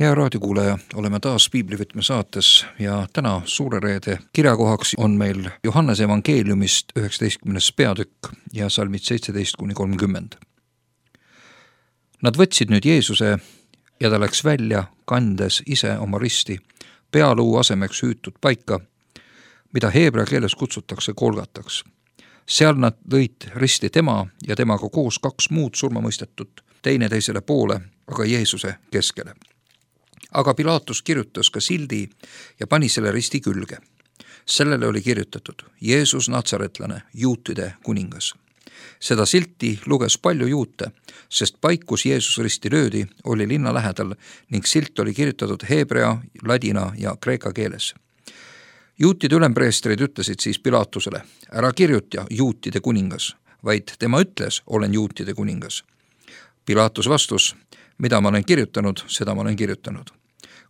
Hea raadiokuulaja, oleme taas Piiblivõtme saates ja täna suure reede kirjakohaks on meil Johannese evangeeliumist 19. peatükk ja salmid 17-30. Nad võtsid nüüd Jeesuse ja ta läks välja, kandes ise oma risti, pealuu asemeks hüütud paika, mida heebrea keeles kutsutakse Golgataks. Seal nad lõid risti tema ja temaga koos 2 muud surmamõistetut, teine teisele poole, aga Jeesuse keskele. Aga Pilaatus kirjutas ka sildi ja pani selle risti külge. Sellele oli kirjutatud Jeesus Natsaretlane, juutide kuningas. Seda silti luges palju juute, sest paik, kus Jeesus risti löödi, oli linna lähedal ning silt oli kirjutatud heebrea, ladina ja kreeka keeles. Juutide ülempreestrid ütlesid siis Pilaatusele, ära kirjuta juutide kuningas, vaid tema ütles, olen juutide kuningas. Pilaatus vastus, mida ma olen kirjutanud, seda ma olen kirjutanud.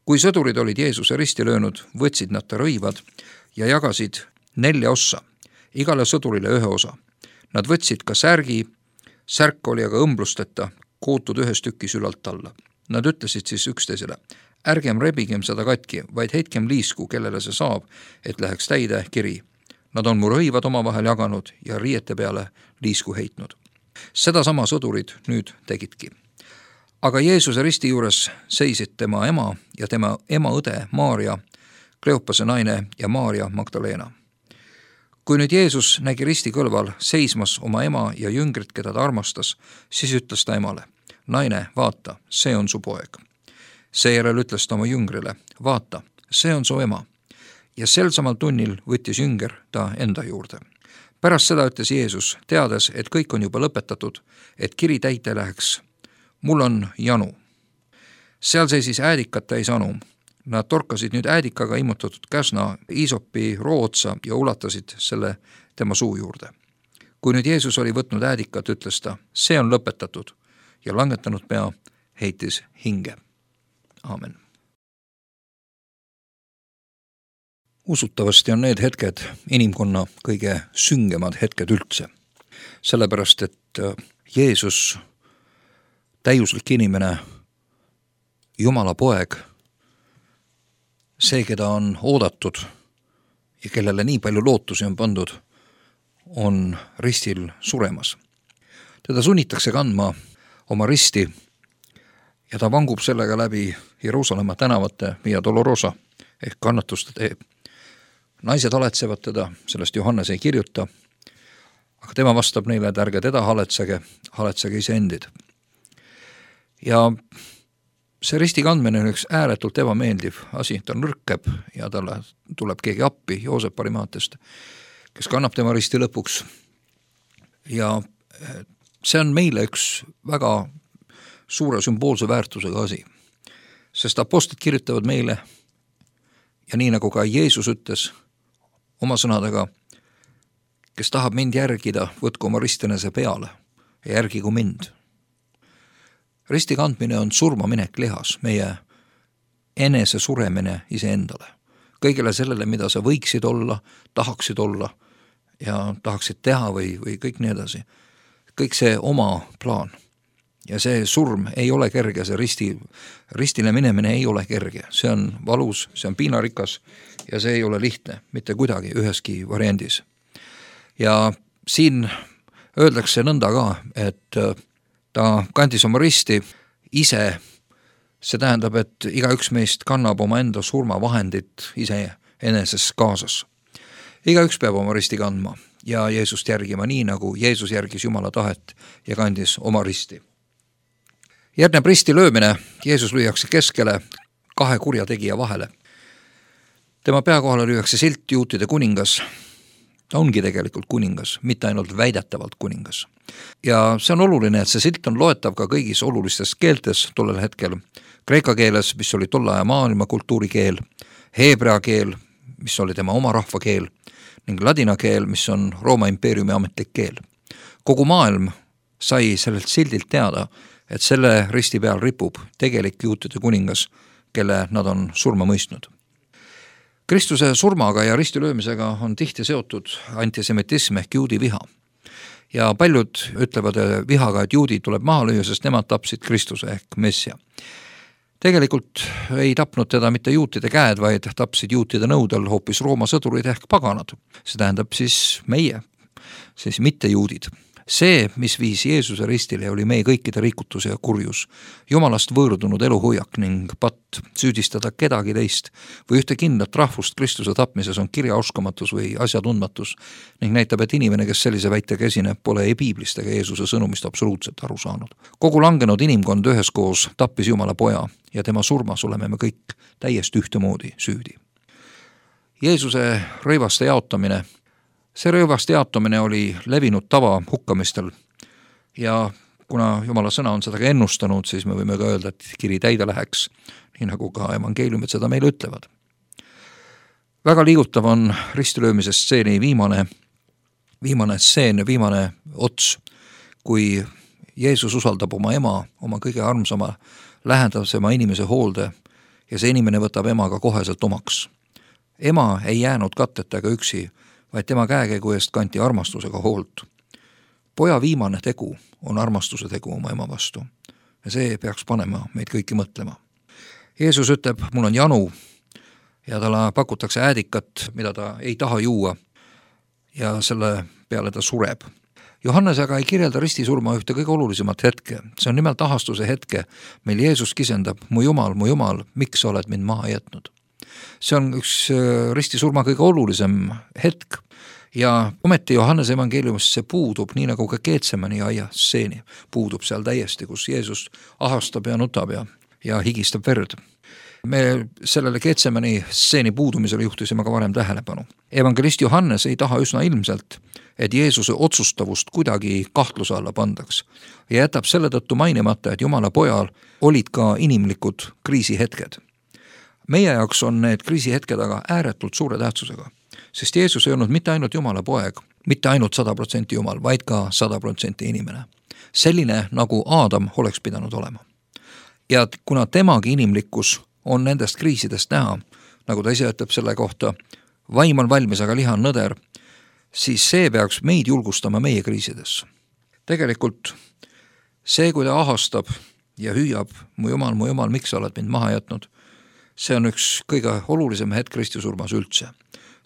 Kui sõdurid olid Jeesuse risti löönud, võtsid nad ta rõivad ja jagasid 4 ossa, igale sõdurile 1 osa. Nad võtsid ka särgi, särk oli aga õmblusteta, kootud 1 tükis ülalt alla. Nad ütlesid siis üksteisele, ärgem rebigem seda katki, vaid heitkem liisku, kellele see saab, et läheks täide kiri. Nad on mu rõivad omavahel jaganud ja riiete peale liisku heitnud. Seda sama sõdurid nüüd tegidki. Aga Jeesuse risti juures seisid tema ema ja tema ema õde Maaria, Kleopase naine ja Maaria Magdalena. Kui nüüd Jeesus nägi risti kõlval seismas oma ema ja jüngrit, keda ta armastas, siis ütles ta emale, naine, vaata, see on su poeg. Seejärel ütles ta oma jüngrile, vaata, see on su ema. Ja sel samal tunnil võttis jünger ta enda juurde. Pärast seda ütles Jeesus, teades, et kõik on juba lõpetatud, et kiri täite läheks. Mul on janu. Seal seisis äädikat täis anu. Nad torkasid nüüd äädikaga immutatud käsna iisopi rootsa ja ulatasid selle tema suu juurde. Kui nüüd Jeesus oli võtnud äädikat, ütles ta, see on lõpetatud ja langetanud pea heitis hinge. Aamen. Usutavasti on need hetked inimkonna kõige süngemad hetked üldse. Sellepärast, et Jeesus, täiuslik inimene, Jumala poeg, see, keda on oodatud ja kellele nii palju lootusi on pandud, on ristil suremas. Teda sunnitakse kandma oma risti ja ta vangub sellega läbi Jeruusalemma tänavate Via Dolorosa ehk kannatuste tee. Naised haletsevad teda, sellest Johannes ei kirjuta, aga tema vastab neile, et ärge teda haletsege iseendid. Ja see risti kandmine on üks ääretult ebameeldiv asi, ta nõrkeb ja talle tuleb keegi appi Joosep Arimaatest, kes kannab tema risti lõpuks. Ja see on meile üks väga suure sümboolse väärtusega asi, sest apostlid kirjutavad meile ja nii nagu ka Jeesus ütles oma sõnadega, kes tahab mind järgida, võtku oma ristinese peale ja järgigu mind. Risti kandmine on surmaminek lihas, meie enese suremine iseendale. Kõigele sellele, mida sa võiksid olla, tahaksid olla ja tahaksid teha või kõik nii edasi. Kõik see oma plaan. Ja see surm ei ole kerge, see ristile minemine ei ole kerge. See on valus, see on piinarikas ja see ei ole lihtne, mitte kuidagi üheski variandis. Ja siin öeldakse nõnda ka, et ta kandis oma risti ise, see tähendab, et igaüks meist kannab oma enda surmavahendit ise eneses kaasas. Igaüks peab oma risti kandma ja Jeesust järgima nii, nagu Jeesus järgis Jumala tahet ja kandis oma risti. Järgneb risti löömine, Jeesus lüüakse keskele 2 kurjategija vahele. Tema pea kohale lüüakse silt juutide kuningas. Ta ongi tegelikult kuningas, mitte ainult väidetavalt kuningas. Ja see on oluline, et see silt on loetav ka kõigis olulistes keeltes tollel hetkel. Kreeka keeles, mis oli tolle aja maailma kultuurikeel, heebrea keel, mis oli tema oma rahva keel, ning ladina keel, mis on Rooma impeeriumi ametlik keel. Kogu maailm sai sellelt sildilt teada, et selle risti peal ripub tegelik juutide kuningas, kelle nad on surma mõistnud. Kristuse surmaga ja risti löömisega on tihti seotud antisemitism ehk juudi viha. Ja paljud ütlevad vihaga, et juudid tuleb maha lüüa, sest nemad tapsid Kristuse ehk Messia. Tegelikult ei tapnud teda mitte juutide käed, vaid tapsid juutide nõudel hoopis Rooma sõdurid ehk paganad. See tähendab siis meie, siis mitte juudid. See, mis viis Jeesuse ristile, oli meie kõikide rikutus ja kurjus, Jumalast võõrdunud eluhoiak ning patt. Süüdistada kedagi teist või ühte kindlat rahvust Kristuse tapmises on kirjaoskamatus või asjatundmatus ning näitab, et inimene, kes sellise väitega esineb, pole ei piiblist ega Jeesuse sõnumist absoluutselt aru saanud. Kogu langenud inimkond üheskoos tappis Jumala poja ja tema surmas oleme me kõik täiesti ühtemoodi süüdi. Jeesuse rõivaste jaotamine. See rõivaste jaotamine oli levinud tava hukkamistel ja kuna Jumala sõna on seda ka ennustanud, siis me võime ka öelda, et kiri täide läheks, nii nagu ka evangeeliumid seda meile ütlevad. Väga liigutav on ristilöömise stseeni viimane stseen, viimane ots, kui Jeesus usaldab oma ema, oma kõige armsama, lähedasema inimese hoolde ja see inimene võtab emaga koheselt omaks. Ema ei jäänud katteta ega üksi, vaid tema käekäigu eest kanti armastusega hoolt. Poja viimane tegu on armastuse tegu oma ema vastu ja see peaks panema meid kõiki mõtlema. Jeesus ütleb, mul on janu ja talle pakutakse äädikat, mida ta ei taha juua ja selle peale ta sureb. Johannes aga ei kirjelda ristisurma ühte kõige olulisemat hetke. See on nimelt ahastuse hetke, mil Jeesus kisendab, mu Jumal, miks sa oled mind maha jätnud? See on üks ristisurma kõige olulisem hetk ja ometi Johannese evangeeliumis see puudub, nii nagu ka Getsemani aia stseeni puudub seal täiesti, kus Jeesus ahastab ja nutab ja higistab verd. Me sellele Getsemani stseeni puudumisele juhtisime ka varem tähelepanu. Evangelist Johannes ei taha üsna ilmselt, et Jeesuse otsustavust kuidagi kahtluse alla pandaks ja jätab selle tõttu mainimata, et Jumala pojal olid ka inimlikud kriisihetked. Meie jaoks on need kriisihetked aga ääretult suure tähtsusega, sest Jeesus ei olnud mitte ainult Jumala poeg, mitte ainult 100% Jumal, vaid ka 100% inimene. Selline, nagu Aadam oleks pidanud olema. Ja kuna temagi inimlikkus on nendest kriisidest näha, nagu ta ise ütleb selle kohta, vaim on valmis, aga liha on nõder, siis see peaks meid julgustama meie kriisides. Tegelikult see, kui ta ahastab ja hüüab, mu Jumal, miks sa oled mind maha jätnud, see on üks kõige olulisem hetk ristisurmas üldse.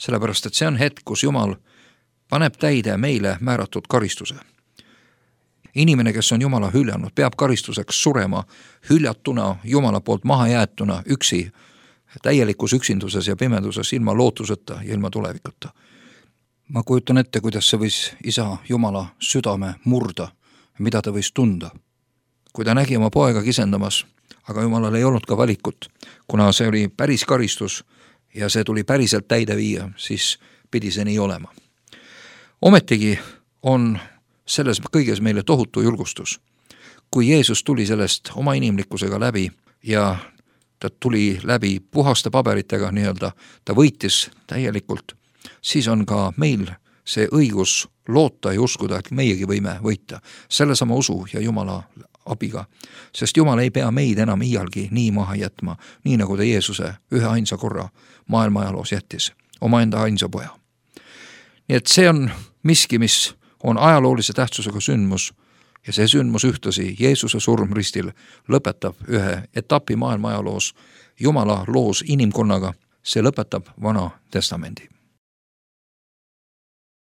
Sellepärast, et see on hetk, kus Jumal paneb täide meile määratud karistuse. Inimene, kes on Jumala hüljanud, peab karistuseks surema hüljatuna, Jumala poolt maha jäetuna, üksi, täielikus üksinduses ja pimeduses, ilma lootuseta ja ilma tulevikuta. Ma kujutan ette, kuidas see võis isa Jumala südame murda, mida ta võis tunda. Kui ta nägi oma poega kisendamas, aga Jumalal ei olnud ka valikut, kuna see oli päris karistus ja see tuli päriselt täide viia, siis pidi see nii olema. Ometigi on selles kõiges meile tohutu julgustus. Kui Jeesus tuli sellest oma inimlikkusega läbi ja ta tuli läbi puhaste paberitega nii-öelda, ta võitis täielikult, siis on ka meil see õigus loota ja uskuda, et meiegi võime võita sellesama usu ja Jumala abiga, sest Jumal ei pea meid enam iialgi nii maha jätma, nii nagu ta Jeesuse ühe ainsa korra maailma ajaloos jättis, omaenda ainsa poja. Nii et see on miski, mis on ajaloolise tähtsusega sündmus ja see sündmus ühtlasi Jeesuse surm ristil lõpetab ühe etapi maailma ajaloos, Jumala loos inimkonnaga, see lõpetab Vana Testamendi.